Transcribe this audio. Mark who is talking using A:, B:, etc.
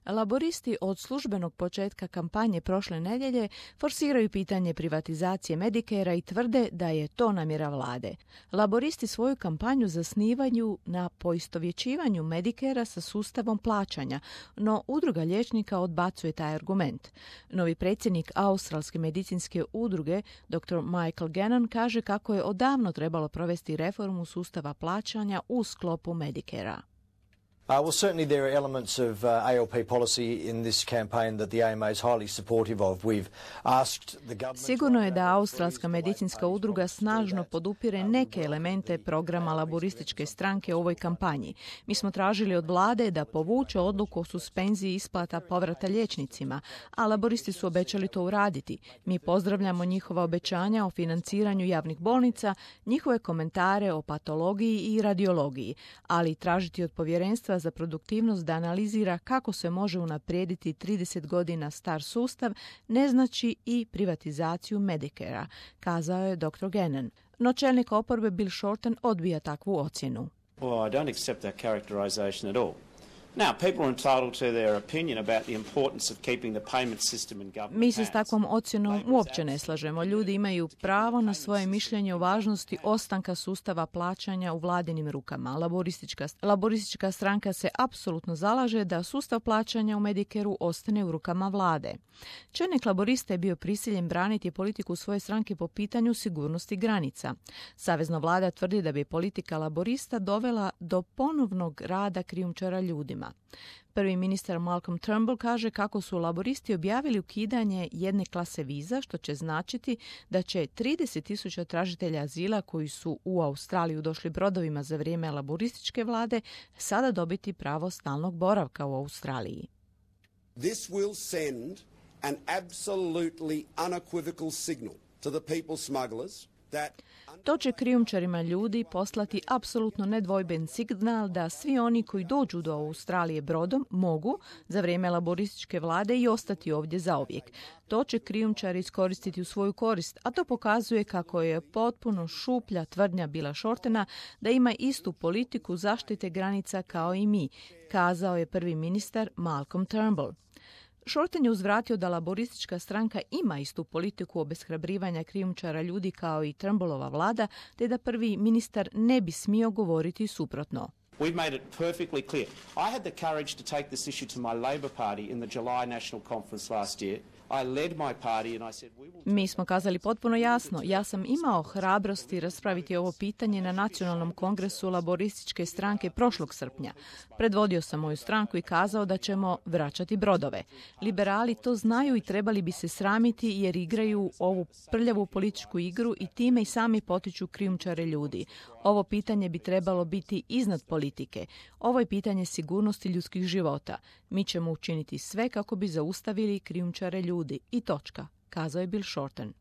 A: Laboristi od službenog početka kampanje prošle nedjelje forsiraju pitanje privatizacije Medicarea i tvrde da je to namjera vlade. Laboristi svoju kampanju zasnivaju na poistovjećivanju Medicarea sa sustavom plaćanja, no udruga liječnika odbacuje taj argument. Novi predsjednik Australske medicinske udruge, dr. Michael Gannon, kaže kako je odavno trebalo provesti reformu sustava plaćanja u sklopu Medicarea.
B: Well, certainly there are elements of ALP policy in this campaign that the AMA is highly supportive of. We've asked the government...
A: Sigurno je da Australska medicinska udruga snažno podupire neke elemente programa laborističke stranke u ovoj kampanji. Mi smo tražili od vlade da povuče odluku o suspenziji isplata povrata liječnicima, a laboristi su obećali to uraditi. Mi pozdravljamo njihova obećanja o financiranju javnih bolnica, njihove komentare o patologiji i radiologiji, ali tražiti od povjerenstva za produktivnost da analizira kako se može unaprijediti 30 godina star sustav ne znači i privatizaciju Medicarea, kazao je dr. Gannon. No čelnik oporbe Bill Shorten odbija takvu ocjenu.
C: Well, I don't accept that characterization at all. Now, people are entitled to their opinion about the importance of keeping the payment system in government.
A: Mi se s takvom ocjenom uopće ne slažemo. Ljudi imaju pravo na svoje mišljenje o važnosti ostanka sustava plaćanja u vladinim rukama. Laboristička stranka se apsolutno zalaže da sustav plaćanja u Medicareu ostane u rukama vlade. Čelnik laborista je bio prisiljen braniti politiku svoje stranke po pitanju sigurnosti granica. Savezna vlada tvrdi da bi politika laborista dovela do ponovnog rada krijumčara ljudima. Prvi ministar Malcolm Turnbull kaže kako su laboristi objavili ukidanje jedne klase viza, što će značiti da će 30,000 tražitelja azila koji su u Australiju došli brodovima za vrijeme laborističke vlade sada dobiti pravo stalnog boravka u Australiji.
D: This will send an absolutely unequivocal signal to the people smugglers that...
A: To će krijumčarima ljudi poslati apsolutno nedvojben signal da svi oni koji dođu do Australije brodom mogu za vrijeme laborističke vlade i ostati ovdje zauvijek. To će krijumčari iskoristiti u svoju korist, a to pokazuje kako je potpuno šuplja tvrdnja Billa Shortena da ima istu politiku zaštite granica kao i mi, kazao je prvi ministar Malcolm Turnbull. Shorten je uzvratio da laboristička stranka ima istu politiku obeshrabrivanja krijumčara ljudi kao i Turnbullova vlada, te da prvi ministar ne bi smio govoriti suprotno.
C: We've made it perfectly clear. I had the courage to take this issue to my Labor Party in the July National Conference last year. I led my party and I said we will...
A: Mi smo kazali potpuno jasno. Ja sam imao hrabrosti raspraviti ovo pitanje na Nacionalnom kongresu laborističke stranke prošlog srpnja. Predvodio sam moju stranku i kazao da ćemo vraćati brodove. Liberali to znaju i trebali bi se sramiti jer igraju ovu prljavu političku igru i time i sami potiču krijumčare ljudi. Ovo pitanje bi trebalo biti iznad politike. Ovo je pitanje sigurnosti ljudskih života. Mi ćemo učiniti sve kako bi zaustavili krijumčare ljudi. I točka, kazao je Bill Shorten.